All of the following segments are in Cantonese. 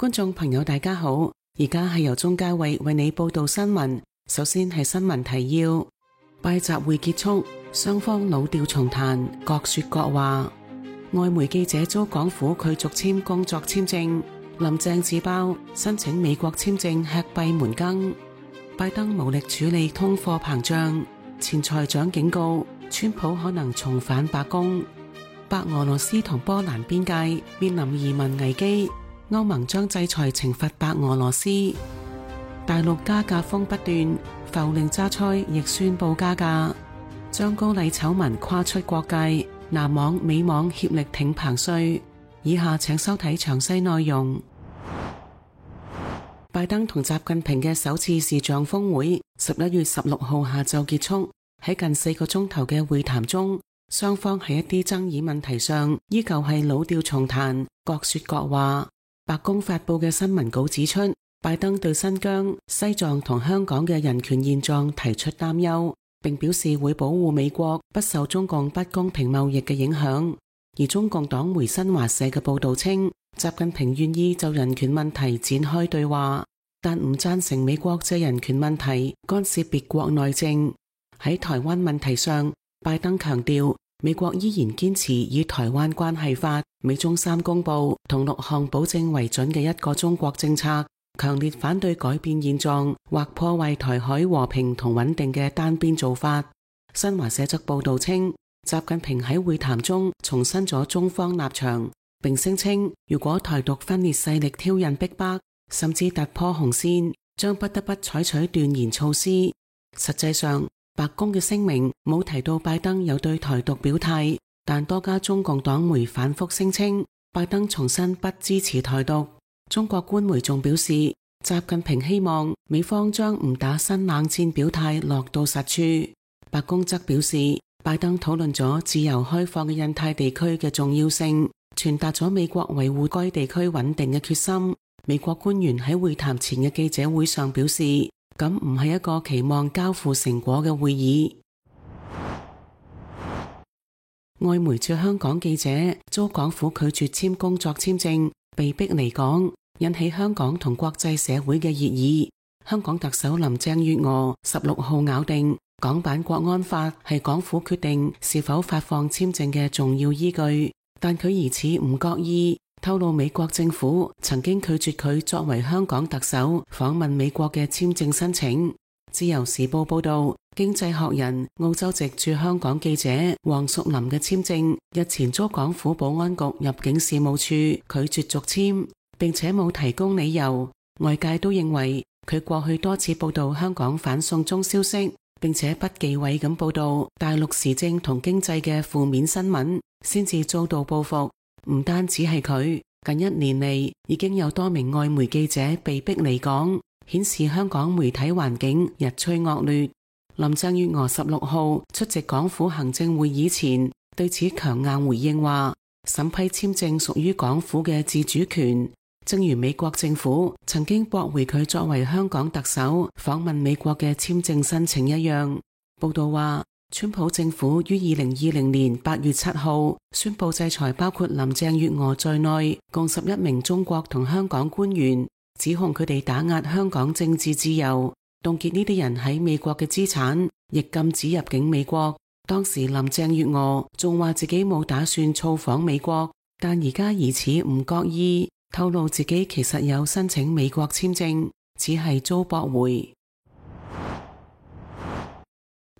觀眾朋友大家好，而家係由鍾嘉慧為你報道新聞。首先係新聞提要：拜習會結束，雙方老調重彈，各說各話。外媒記者遭港府拒續簽工作簽證，林鄭自爆申請美國簽證吃閉門羹。拜登無力處理通貨膨脹，前財長警告川普可能重返白宮。白俄羅斯同波蘭邊界面臨移民危機，歐盟將制裁懲罰白俄羅斯。大陸加價風不斷，浮寧榨菜亦宣布加價。張高麗醜聞跨出國界，南網美網協力挺彭帥。以下請收睇詳細內容。拜登同習近平嘅首次視像峰會11月16號下晝結束，喺近4個鐘頭嘅會談中，雙方喺一啲爭議問題上依舊係老調重彈，各說各話。白宮發佈嘅新聞稿指出，拜登對新疆、西藏同香港嘅人權現狀提出擔憂，並表示會保護美國不受中共不公平貿易嘅影響。而中共黨媒新華社嘅報道稱，習近平願意就人權問題展開對話，但唔贊成美國借人權問題干涉別國內政。喺台灣問題上，拜登強調美國依然堅持以台灣關係法、美中3公報同6項保證為準嘅一個中國政策，強烈反對改變現狀或破壞台海和平同穩定嘅單邊做法。新華社則報道稱，習近平喺會談中重申咗中方立場，並聲稱如果台獨分裂勢力挑釁逼迫，甚至突破紅線，將不得不採取斷然措施。實際上，白宮嘅聲明冇提到拜登有對台獨表態，但多家中共黨媒反覆聲稱拜登重申不支持台獨。中國官媒仲表示，習近平希望美方將唔打新冷戰表態落到實處。白宮則表示，拜登討論咗自由開放嘅印太地區嘅重要性，傳達咗美國維護該地區穩定嘅決心。美國官員喺會談前嘅記者會上表示，咁唔係一個期望交付成果嘅會議。外媒駐香港記者遭港府拒絕簽工作簽證，被逼離港，引起香港同國際社會嘅熱議。香港特首林鄭月娥16號咬定，港版國安法係港府決定是否發放簽證嘅重要依據，但佢疑似唔覺意透露美國政府曾經拒絕佢作為香港特首訪問美國嘅簽證申請。自由時報報道，經濟學人澳洲籍駐香港記者黃淑琳嘅簽證日前遭港府保安局入境事務處拒絕續簽，並且冇提供理由。外界都認為佢過去多次報道香港反送中消息，並且不忌諱咁報道大陸時政同經濟嘅負面新聞，先至遭到報復。唔單止係佢，近1年嚟已經有多名外媒記者被逼離港，顯示香港媒體環境日趨惡劣。林鄭月娥16號出席港府行政會議前，對此強硬回應話，審批簽證屬於港府嘅自主權，正如美國政府曾經駁回佢作為香港特首訪問美國嘅簽證申請一樣。報道話，川普政府於2020年8月7號宣布制裁包括林鄭月娥在內共11名中國同香港官員，指控佢哋打壓香港政治自由，凍結呢啲人喺美國嘅資產，亦禁止入境美國。當時林鄭月娥仲話自己冇打算造訪美國，但而家疑似唔覺意透露自己其實有申請美國簽證，只係遭駁回。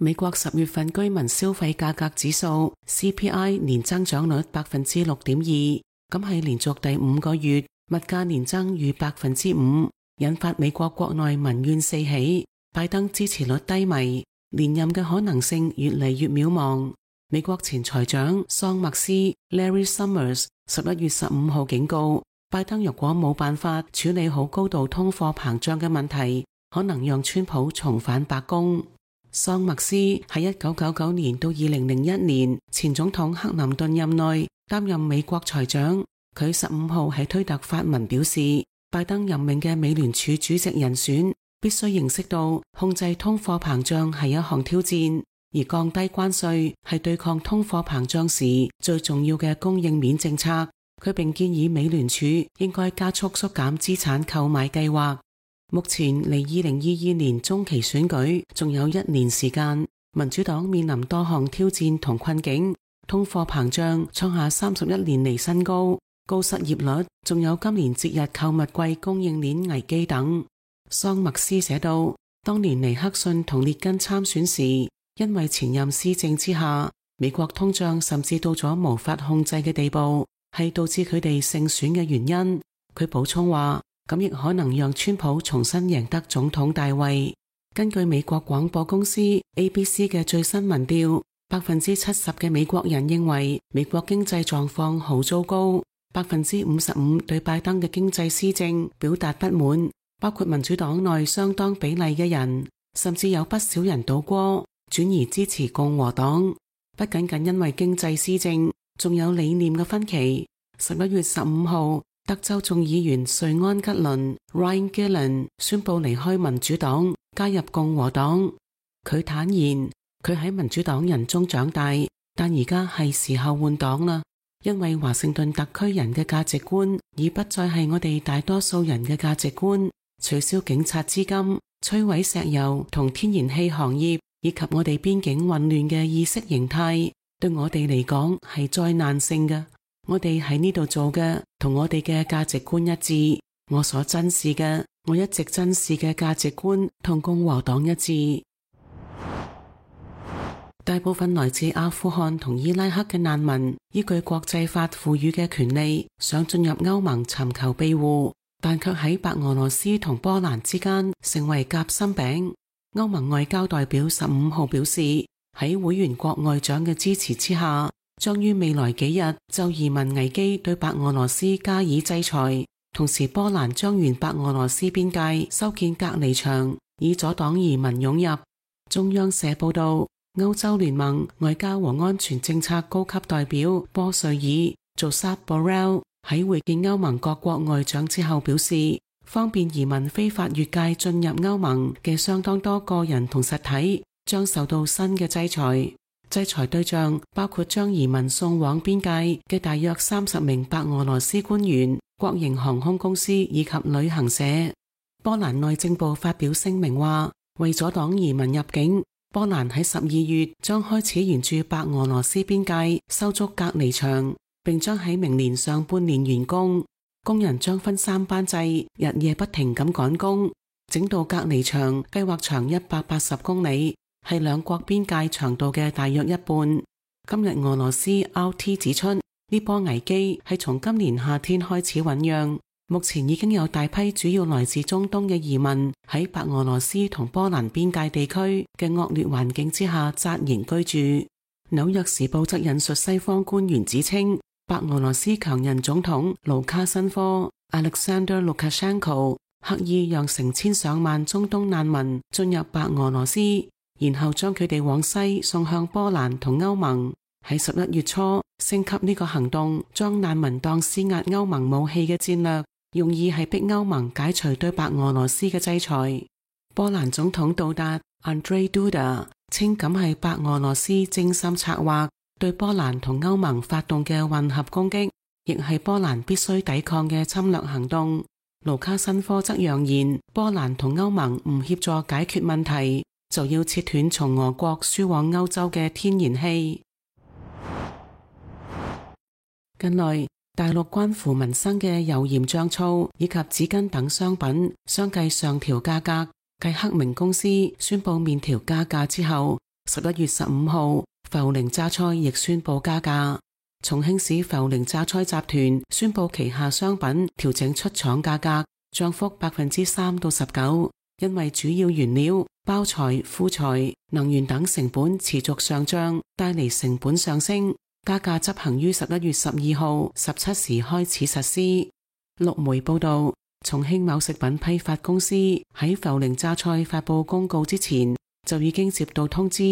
美國10月份居民消費價格指數 CPI 年增長率 6.2%， 咁係連續第5個月物價年增逾 5%， 引發美國國內民怨四起。拜登支持率低迷，連任嘅可能性越嚟越渺茫。美國前財長桑默斯 Larry Summers 11月15號警告，拜登若果冇辦法處理好高度通貨膨脹嘅問題，可能讓川普重返白宮。桑默斯喺1999年到2001年前總統克林頓任內擔任美國財長。佢15號喺推特發文表示，拜登任命嘅美聯儲主席人選必須認識到控制通貨膨脹係一項挑戰，而降低關稅係對抗通貨膨脹時最重要嘅供應鏈政策。佢並建議美聯儲應該加速縮減資產購買計劃。目前離2022年中期選舉仲有1年時間，民主黨面臨多項挑戰同困境，通貨膨脹創下31年嚟新高，高失業率，仲有今年節日購物季供應鏈危機等。桑默斯寫道，當年尼克遜同列根參選時，因為前任施政之下，美國通脹甚至到咗無法控制嘅地步，係導致佢哋勝選嘅原因。佢補充話，咁亦可能讓川普重新贏得總統大位。根據美國廣播公司 ABC 嘅最新民調，70%嘅美國人認為美國經濟狀況好糟糕，55%對拜登嘅經濟施政表達不滿，包括民主黨內相當比例嘅人，甚至有不少人倒戈，轉而支持共和黨。不僅僅因為經濟施政，仲有理念嘅分歧。11月15號，德州眾議員瑞安吉倫 Ryan Gillen 宣布離開民主黨，加入共和黨。佢坦言，佢喺民主黨人中長大，但而家係時候換黨啦，因為華盛頓特區人嘅價值觀已不再係我哋大多數人嘅價值觀。取消警察資金、摧毀石油同天然氣行業，以及我哋邊境混亂嘅意識形態，對我哋嚟講係災難性嘅。我哋喺呢度做嘅同我哋嘅價值觀一致，我所珍視嘅，我一直珍視嘅價值觀同共和黨一致。大部分來自阿富汗同伊拉克嘅難民，依據國際法賦予嘅權利，想進入歐盟尋求庇護，但卻喺白俄羅斯同波蘭之間成為夾心餅。歐盟外交代表15號表示，喺會員國外長嘅支持之下，將於未來幾日就移民危機對白俄羅斯加以制裁。同時，波蘭將沿白俄羅斯邊界修建隔離牆，以阻擋移民湧入。中央社報道，歐洲聯盟外交和安全政策高級代表波瑞爾 Josep Borrell 喺會見歐盟各國外長之後表示，方便移民非法越界進入歐盟嘅相當多個人同實體將受到新嘅制裁。制裁對象包括將移民送往邊界嘅大約30名白俄羅斯官員、國營航空公司以及旅行社。波蘭內政部發表聲明話，為阻擋移民入境，波蘭喺12月將開始沿住白俄羅斯邊界修築隔離牆，並將喺明年上半年完工。工人將分3班制，日夜不停咁趕工。整道隔離牆計劃長180公里，係兩國邊界長度嘅大約一半。今日俄羅斯 RT 指出，呢波危機係從今年夏天開始醞釀，目前已經有大批主要來自中東嘅移民喺白俄羅斯同波蘭邊界地區嘅惡劣環境之下紮營居住。紐約時報則引述西方官員指稱，白俄羅斯強人總統盧卡申科 Alexander Lukashenko 刻意讓成千上萬中東難民進入白俄羅斯，然後將佢哋往西送向波蘭同歐盟。喺11月初升級呢個行動，將難民當施壓歐盟武器嘅戰略，用意係逼歐盟解除對白俄羅斯嘅制裁。波蘭總統杜達 Andrzej Duda 稱咁係白俄羅斯精心策劃對波蘭同歐盟發動嘅混合攻擊，亦係波蘭必須抵抗嘅侵略行動。盧卡申科則揚言，波蘭同歐盟唔協助解決問題，就要切斷從俄國輸往歐洲嘅天然氣。近來，大陸關乎民生嘅油鹽醬醋以及紙巾等商品相繼上調價格。繼克明公司宣布麵條加價之後，11月15號，涪陵榨菜亦宣布加價。重慶市涪陵榨菜集團宣布旗下商品調整出廠價格，漲幅3%到19%，因為主要原料、包材、副材、能源等成本持續上漲，帶嚟成本上升。加價執行於11月12號17時開始實施。陸媒報道，重慶某食品批發公司喺涪陵榨菜發布公告之前，就已經接到通知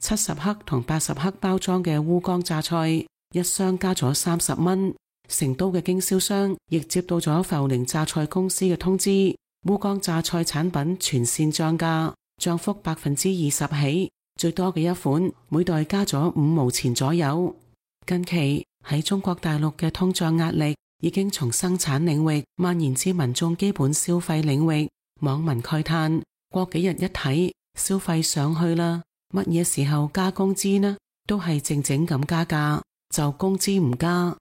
，70克同80克包裝嘅烏江榨菜一箱加咗30蚊。成都嘅經銷商亦接到咗涪陵榨菜公司嘅通知，烏江榨菜產品全線漲價，漲幅20%起，最多嘅一款每袋加咗5毛錢左右。近期喺中國大陸嘅通脹壓力已經從生產領域蔓延至民眾基本消費領域。網民慨嘆：過幾日一睇，消費上去啦，乜嘢時候加工資呢？都係靜靜咁加價，就工資唔加。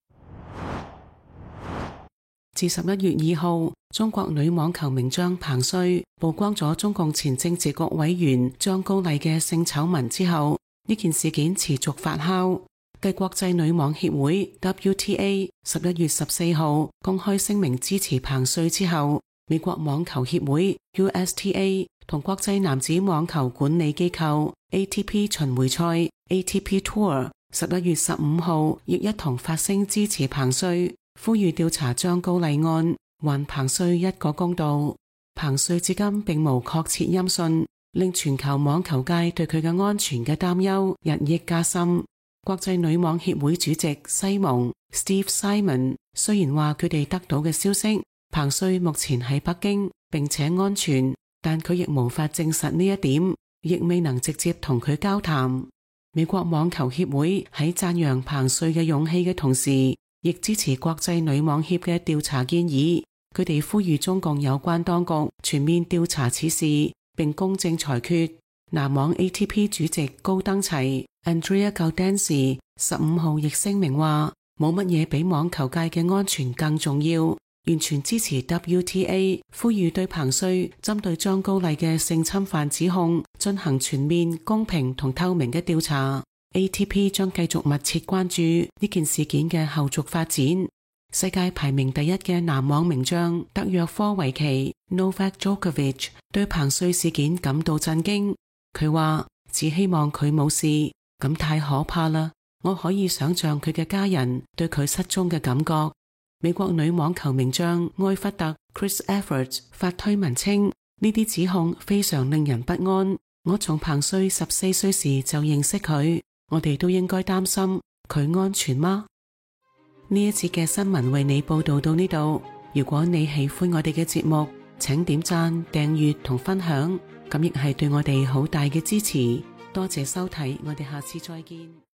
自11月2號，中國女網球名將彭帥曝光咗中共前政治局委員張高麗嘅性醜聞之後，呢件事件持續發酵。繼國際女網協會 WTA 11月14號公開聲明支持彭帥之後，美國網球協會 USTA 同國際男子網球管理機構 ATP 巡迴賽 ATP Tour 11月15號亦一同發聲支持彭帥，呼籲調查張高麗案，還彭帥一個公道。彭帥至今並無確切音訊，令全球網球界對佢嘅安全嘅擔憂日益加深。國際女網協會主席西蒙 Steve Simon 雖然話佢哋得到嘅消息，彭帥目前喺北京並且安全，但佢亦無法證實呢一點，亦未能直接同佢交談。美國網球協會喺讚揚彭帥嘅勇氣嘅同時，亦支持國際女網協嘅調查建議。佢哋呼籲中共有關當局全面調查此事，並公正裁決。男網 ATP 主席高登齊 Andrea Gaudenzi 15號亦聲明話，冇乜嘢比網球界嘅安全更重要，完全支持 WTA 呼籲對彭帥針對張高麗嘅性侵犯指控進行全面、公平同透明嘅調查。ATP 將繼續密切關注呢件事件嘅後續發展。世界排名第一嘅男網名將德約科維奇 Novak Djokovic 對彭帥事件感到震驚。佢話只希望佢冇事，咁太可怕啦！我可以想象佢嘅家人對佢失蹤嘅感覺。美國女網球名將埃弗特 Chris Evert 發推文稱，呢啲指控非常令人不安。我從彭帥14歲時就認識佢，我哋都應該擔心佢安全嗎？呢一次嘅新聞為你報道到呢度。如果你喜歡我哋嘅節目，請點讚、訂閱同分享，咁亦係對我哋好大嘅支持。多謝收睇，我哋下次再見。